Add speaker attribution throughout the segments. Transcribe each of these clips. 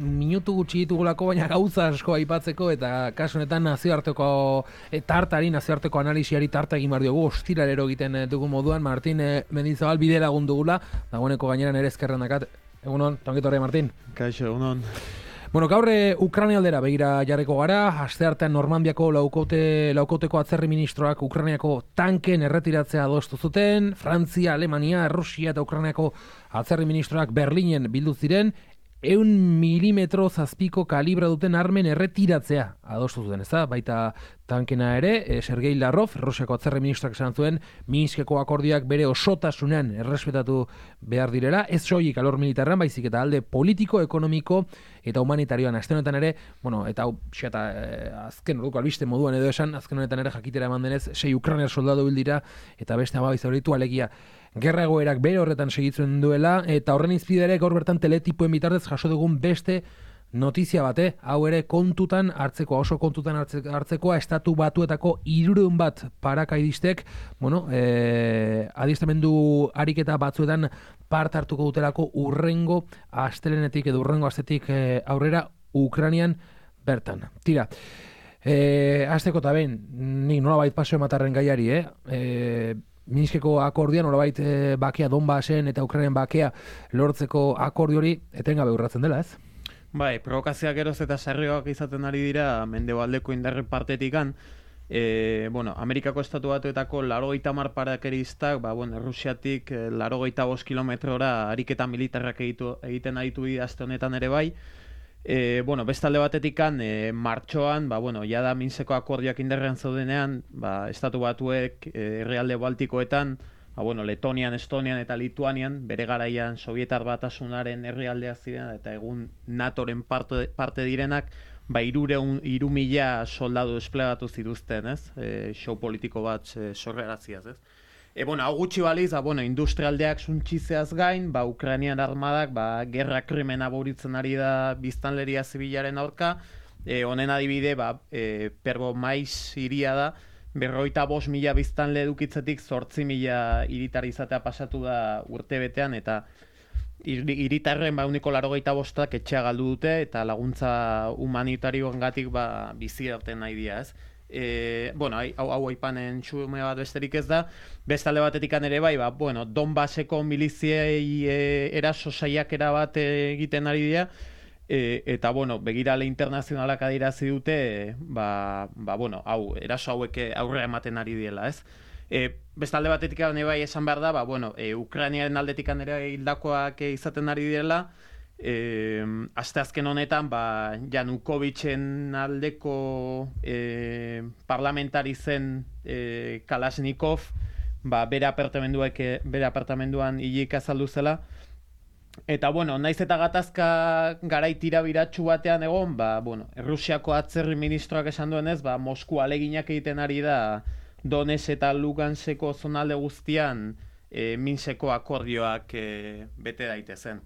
Speaker 1: minutu gutxi ditugulako, baina gauza asko aipatzeko, eta kasu honetan nazioarteko nazioarteko analisiari tarta egin behar diogu, ostiralero egiten dugu moduan, Martin Mendizabal bide lagun dugula, dagoeneko gaineran ere eskerren dakat. Egunon, tongitorre, Martin.
Speaker 2: Kaixo, egunon.
Speaker 1: Bueno, gaur Ukraina aldera begira jarriko gara, asteartean Normandiako laukoteko atzerri ministroak Ukrainiako tanken erretiratzea adostu zuten, Frantzia, Alemania, Rusia eta Ukrainiako atzerri ministroak Berlinen bildu ziren, 100 milimetro zazpiko kalibra duten armen erretiratzea adostu zuten, ezta? Baita tankena ere, Sergei Lavrov, Rusiako atzerri ministroak esan zuen, Minskeko akordioak bere osotasunean errespetatu behar direla, ez soilik alor militarrean, baizik eta alde politiko, ekonomiko eta humanitarioan. Azken honetan ere, bueno, eta azken orduko albiste moduan edo esan, azken honetan ere jakitera eman denez, 6 Ukrainar soldadu bildira eta beste 12 zauritu, alegia gerra egoerak bere horretan segitzen duela, eta horren izpidere gaur bertan teletipoen bitartez jaso dugun beste notizia bate, hau ere kontutan hartzekoa, oso kontutan hartzekoa, Estatu Batuetako 300 bat parakaidistek, bueno, adiestramendu ariketa batzuetan parte hartuko dutelako urrengo astelenetik edo urrengo astetik aurrera Ukrainian bertan. Tira, hasteko eta behin, nik nolabait paseo ematarren gaiari, Minskeko akordian nolabait bakea Donbasen eta Ukrainian bakea lortzeko akordio hori etengabe urratzen dela, ez?
Speaker 2: Bai, provokazioak geroz eta sarrioak izaten ari dira mendebaldeko indarren partetikan. Amerikako Estatu Batuetako 80 parakeristak, Rusiatik 85 kilometrora ariketa militarrak egiten aditu aste honetan ere bai. Bestalde batetikan, martxoan, jada Minskeko akordioak indarrean zaudenean, Estatu Batuek herrialde baltikoetan, Letonian, Estonian eta Lituanian, bere garaian Sovietar Batasunaren herrialdeak ziren eta egun NATOren parte direnak, 3.000 soldadu desplegatu zituzten, ez? Show politiko bat sorreraziaz, ez? Hau gutxi baliz, industrialdeak suntxizeaz gain, Ukrainian armadak, gerra krimena buritzen ari da biztanleria zibilaren aurka, honen adibide, Pergomaiz hiria da, 55.000 biztanle edukitzetik 8.000 hiritar izatea pasatu da urtebetean, eta hiritarren 85% etxea galdu dute, eta laguntza humanitarioengatik bizi irten nahi dira, ez? Hau aipanen txume bat besterik ez da. Bestalde batetikan ere bai, Donbaseko miliziei eraso saiakera bat egiten ari dira, eta begirale internazionalak adirazi dute, eraso hauek aurrera ematen ari diela, ez? Bestalde batetikan ere bai esan behar da, Ukrainiaren aldetikan ere hildakoak izaten ari direla. Asteazken honetan Janukovitzen aldeko parlamentari zen Kalashnikov bere apartamenduan hilik azaldu zela, eta naiz eta gatazka garai tirabiratsu batean egon, Rusiako atzerri ministroak esan duenez, Mosku aleginak egiten ari da Donetsk eta Luganskeko zonalde guztian Minskeko akordioak bete daitezen.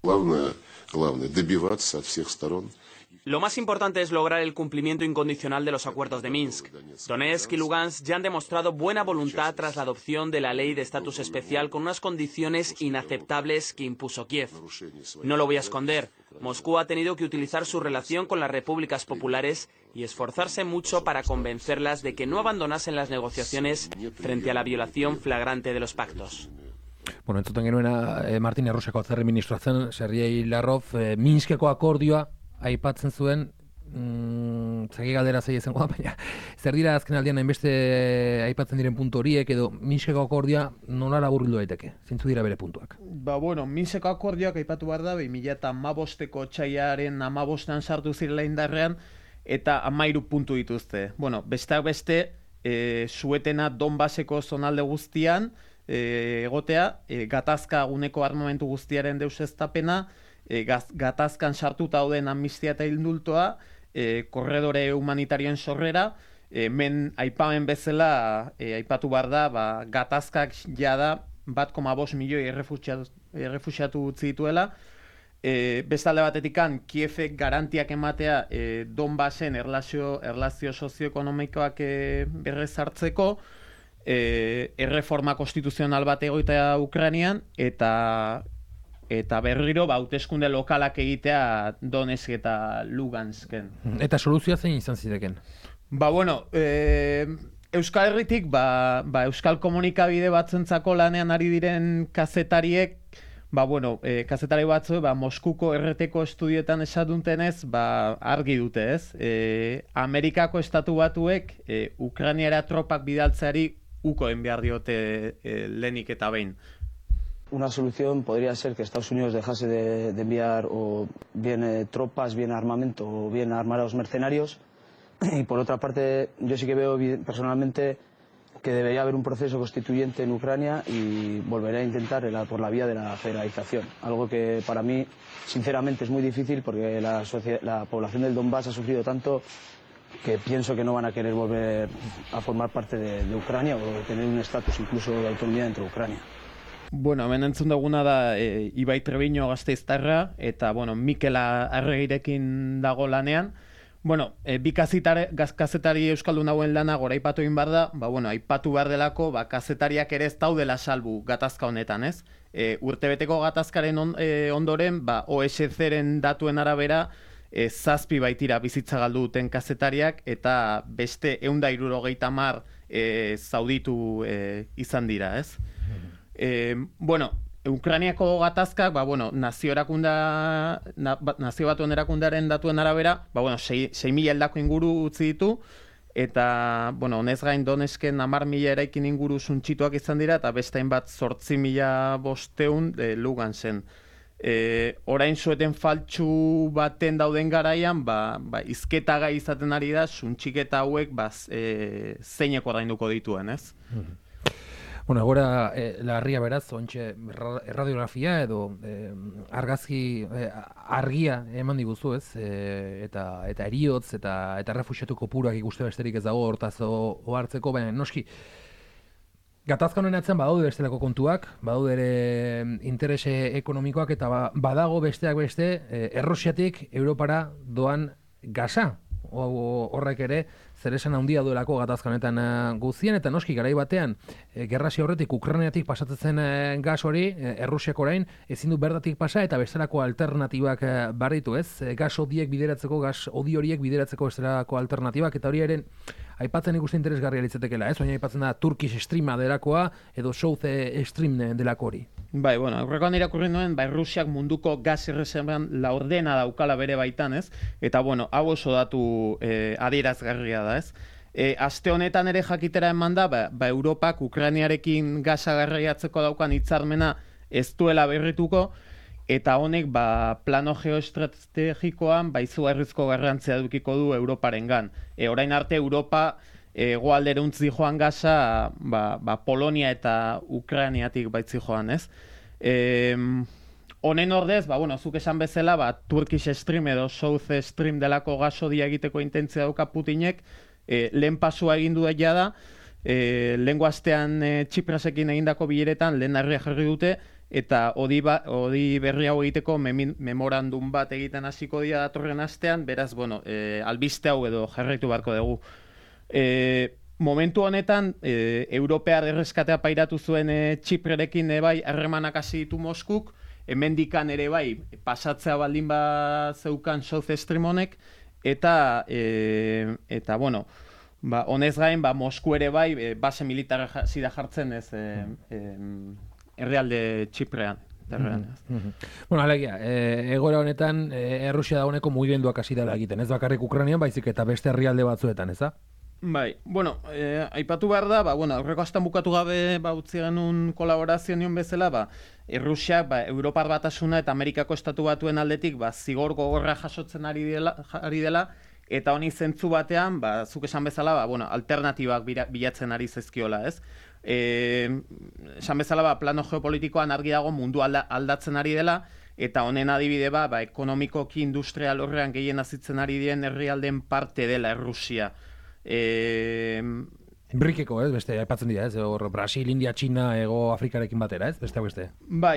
Speaker 3: Главное добиваться от всех сторон.
Speaker 4: Lo más importante es lograr el cumplimiento incondicional de los acuerdos de Minsk. Donetsk y Lugansk ya han demostrado buena voluntad tras la adopción de la ley de estatus especial con unas condiciones inaceptables que impuso Kiev. No lo voy a esconder, Moscú ha tenido que utilizar su relación con las repúblicas populares y esforzarse mucho para convencerlas de que no abandonasen las negociaciones frente a la violación flagrante de los pactos.
Speaker 1: Bueno, entzuten genuena Martin Errusiako atzerri ministroa zen, Sergei Lavrov, Minskeko akordioa aipatzen zuen, zagi galdera zei izango da, baina zer dira azken aldean hainbeste aipatzen diren puntu horiek, edo Minskeko akordioa nola laburbildu daiteke? Zeintzu dira bere puntuak?
Speaker 2: Minskeko akordioak aipatu behar da, 2015ko otsailaren 15an sartu zirela indarrean, eta 13 puntu dituzte. Besteak beste, suetena Donbaseko zonalde guztian, egotea, gatazka guneko armamentu guztiaren deuseztapena, gatazkan sartuta dauden amnistia eta indultoa, korredore humanitarioen sorrera, men aipamen bezala aipatu behar da, gatazkak jada 1,5 milioi errefuxiatu utzi dituela. Bestalde batetikan, Kievek garantiak ematea Donbasen erlazio sozioekonomikoak berrezartzeko, erreforma konstituzional bat egoitea Ukrainian, eta eta berriro hauteskunde lokalak egitea Donetsk eta Lugansken.
Speaker 1: Eta soluzioa zein izan ziteken?
Speaker 2: Bueno, Euskal Herritik, Euskal Komunikabide batzuentzako lanean ari diren kazetariek, kazetari batzu, Moskuko erreteko estudioetan esaduntenez, argi dute, ez? Amerikako estatu batuek Ukrainiara tropak bidaltzeari ukoen behar diote lehenik eta behin.
Speaker 5: Una solución podría ser que Estados Unidos dejase de enviar o bien tropas, bien armamento o bien armar a los mercenarios. Y por otra parte, yo sí que veo personalmente que debería haber un proceso constituyente en Ucrania y volveré a intentar por la vía de la federalización. Algo que para mí, sinceramente, es muy difícil porque la población del Donbass ha sufrido tanto que pienso que no van a querer volver a formar parte de Ucrania o tener un estatus incluso de autonomía dentro de Ucrania.
Speaker 2: Hemen entzun duguna da Ibai Trebiño gasteiztarra eta Mikel Arregirekin dago lanean. Bi kazetari euskaldun hauen lana goraipatu egin behar da, aipatu behar delako, kazetariak ere ez daudela salbu gatazka honetan, ez? Urtebeteko gatazkaren ondoren, OSCE-ren datuen arabera, 7 baitira bizitza galdu duten kazetariak, eta beste 170 zauditu izan dira, ez? Ukrainiako gatazkak, nazio batuen erakundearen datuen arabera, 6.000 heldako inguru utzi ditu, eta, honez gain Donetsken 10.000 eraikin inguru suntsituak izan dira, eta beste hainbat 8.500 Lugansen. Orain zueten faltsu baten dauden garaian, izketa gai izaten ari da, suntxiketa hauek zeineko ordainduko dituen, ez?
Speaker 1: Egora larria beraz, ontxe erradiografia edo argazki argia eman diguzu, ez? Eta eriotz eta refuxiatu kopuruak ikuste besterik ez dago hortaz ohartzeko, baina noski gatazka honen atzen badaude bestelako kontuak, badaude ere interese ekonomikoak eta badago besteak beste Errusiatik Europara doan gasa. Horrek ere zeresan handia duelako gatazka honetan guztien, eta noski garai batean gerrazio horretik Ukrainiatik pasatzen zen gas hori, Errusiak orain ezin du bertatik pasa eta bestelako alternatibak barritu, ez? Gas hodiek bideratzeko, gas hodi horiek bideratzeko bestelako alternatibak, eta hori eren aipatzen ikusten interesgarria litzatekeela, ez? Baina aipatzen da Turkish Streama delakoa edo South Stream delako hori.
Speaker 2: Aurrekoan irakurri nuen, Rusiak munduko gas erreserban laurdena daukala bere baitan, ez? Eta, hau oso datu adierazgarria da, ez? Aste honetan ere jakitera eman da, Europak Ukrainiarekin gasa garraiatzeko daukan hitzarmena ez duela berrituko, eta honek plano geoestrategikoan izugarrizko garrantzia edukiko du Europarengan. Orain arte Europa hegoalderantz joan gasa Polonia eta Ukrainiatik baitzi joan, ez? Honen ordez, zuk esan bezala, Turkish Stream edo South Stream delako gasodia egiteko intentzia dauka Putinek, lehen pasua egin du da, lehengo astean Txiprasekin egindako bileretan lehen harria jarri dute, eta hodi berri hau egiteko memorandum bat egiten hasiko dira datorren astean, beraz, albiste hau edo jarraitu beharko dugu. Momentu honetan, Europear erreskatea pairatu zuen Txiprerekin harremanak hasi ditu Moskuk, hemendikan ere pasatzea baldin zeukan South Stream honek, eta honez gain, Mosku ere base militarra zida jartzen ez herrialde Txiprean.
Speaker 1: Alegia, egoera honetan Errusia dagoeneko mugimenduak hasi dela egiten, ez bakarrik Ukrainian, baizik eta beste herrialde batzuetan, ez da?
Speaker 2: Aipatu behar da, aurreko astan bukatu gabe utzi genuen kolaborazio nion bezala, Errusiak Europar Batasuna eta Amerikako Estatu Batuen aldetik zigor gogorra jasotzen ari dela, eta honi zentzu batean, zuk esan bezala, alternatibak bilatzen ari zaizkiola, ez? Esan bezala, plano geopolitikoan argi dago mundu aldatzen ari dela, eta honen adibide ekonomikoki industrial horrean gehien azitzen ari diren herrialdeen parte dela Errusia.
Speaker 1: Brikeko, ez? Beste, aipatzen dira, ez? Brasil, India, China, Ego Afrikarekin batera, ez? Beste.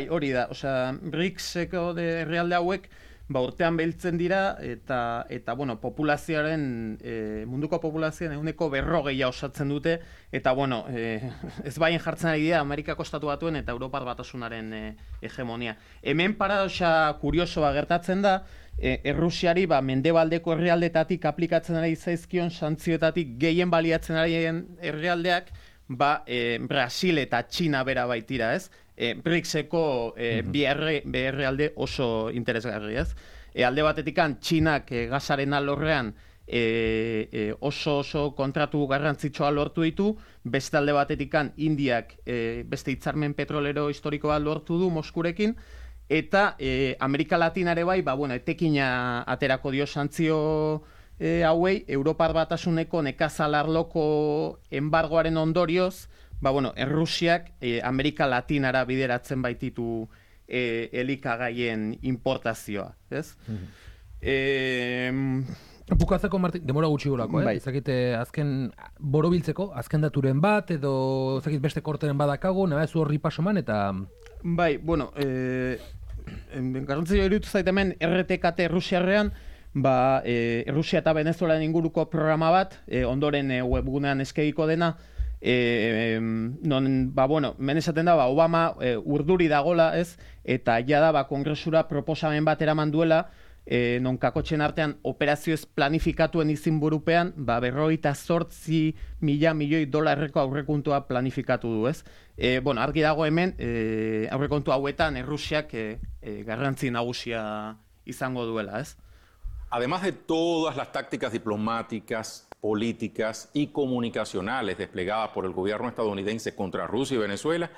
Speaker 2: Hori da. BRICS-eko herrialde hauek, urtean beltzen dira, eta bueno, populazioaren, munduko populazioaren 40% osatzen dute, eta bueno, ez baien jartzen ari dira Amerikako Estatu Batuen eta Europar Batasunaren hegemonia. Hemen paradoxa kuriosoa gertatzen da, Errusiari mendebaldeko herrialdetatik aplikatzen ari zaizkion santzioetatik gehien baliatzen ari herrialdeak, Brasil eta Txina bera baitira, ez? BRICSeko bi herrialde oso interesgarri, ez? Alde batetikan Txinak gasaren alorrean oso kontratu garrantzitsua lortu ditu, beste alde batetikan Indiak beste hitzarmen petrolero historikoa lortu du Moskurekin, eta Amerika Latinare bai, etekina aterako dio santzio hauei, Europar Batasuneko nekazalarloko embargoaren ondorioz, Errusiak Amerika Latinara bideratzen baititu elikagaien importazioa, ez?
Speaker 1: Bukatzeko, Martin, demora gutxi gorako,
Speaker 2: Bai.
Speaker 1: Ezakite, azken borobiltzeko, azken daturen bat, edo ezakit beste korteren badakago, nabezu horri pasoman, eta...
Speaker 2: Bai, bueno, garrantzia iruditu zait hemen RTKT Errusiarrean, Errusia eta Venezuelaren inguruko programa bat, ondoren webgunean eskegiko dena, non, hemen esaten da, Obama urduri dagola, ez, eta jada, kongresura proposamen bat eraman duela, non kakotxen artean operazioez planifikatuen izinburupean, 58.000 milioi dolarreko aurrekontua planifikatu du, ez? Argi dago hemen, aurrekontu hauetan Errusiak garrantzi nagusia izango duela, ez?
Speaker 6: Además de todas las tácticas diplomáticas, políticas y comunicacionales desplegadas por el gobierno estadounidense contra Rusia y Venezuela,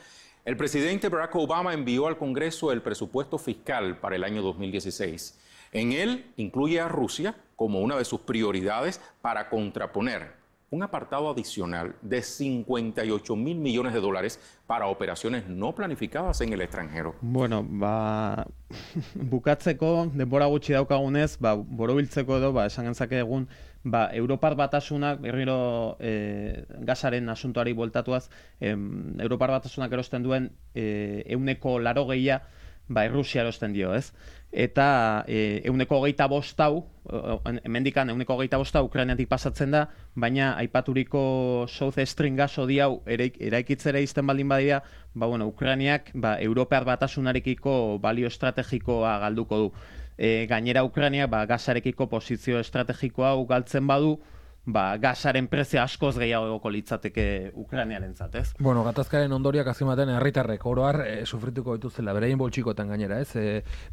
Speaker 6: el presidente Barack Obama envió al Congreso el presupuesto fiscal para el año 2016. En él incluye a Rusia como una de sus prioridades para contraponer un apartado adicional de 58.000 millones de dólares para operaciones no planificadas en el extranjero.
Speaker 2: Bueno, bukatzeko, denbora gutxi daukagunez, borobiltzeko edo, esan gentzake egun, Europar Batasunak, berriro gasaren asuntoari bueltatuaz, Europar Batasunak erosten duen 80% Errusia erosten dio, ez? Eta 25% hau, hemendikan 25% hau Ukrainiatik pasatzen da, baina aipaturiko South Stream gasodi hau eraikitzera izten baldin badira, Ukrainiak Europar Batasunarekiko balio estrategikoa galduko du. Gainera Ukrainiak gasarekiko posizio estrategiko hau galtzen badu, gasaren prezio askoz gehiagoko litzateke Ukrainiarentzat, ez?
Speaker 1: Gatazkaren ondoriak azken herritarrek oroar sufrituko dituzela, beraien boltsikoetan gainera, ez?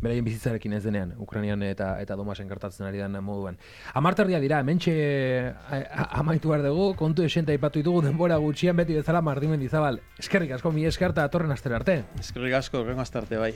Speaker 1: Beraien bizitzarekin ez denean, Ukrainian eta Domasen gertatzen ari den moduan. 10 dira, hementxe amaitu behar dugu, kontu esenta aipatu ditugu denbora gutxian beti bezala Martin Mendizabal. Eskerrik asko, mi eskerta atorren astera arte.
Speaker 2: Eskerrik asko, horrengo astarte bai.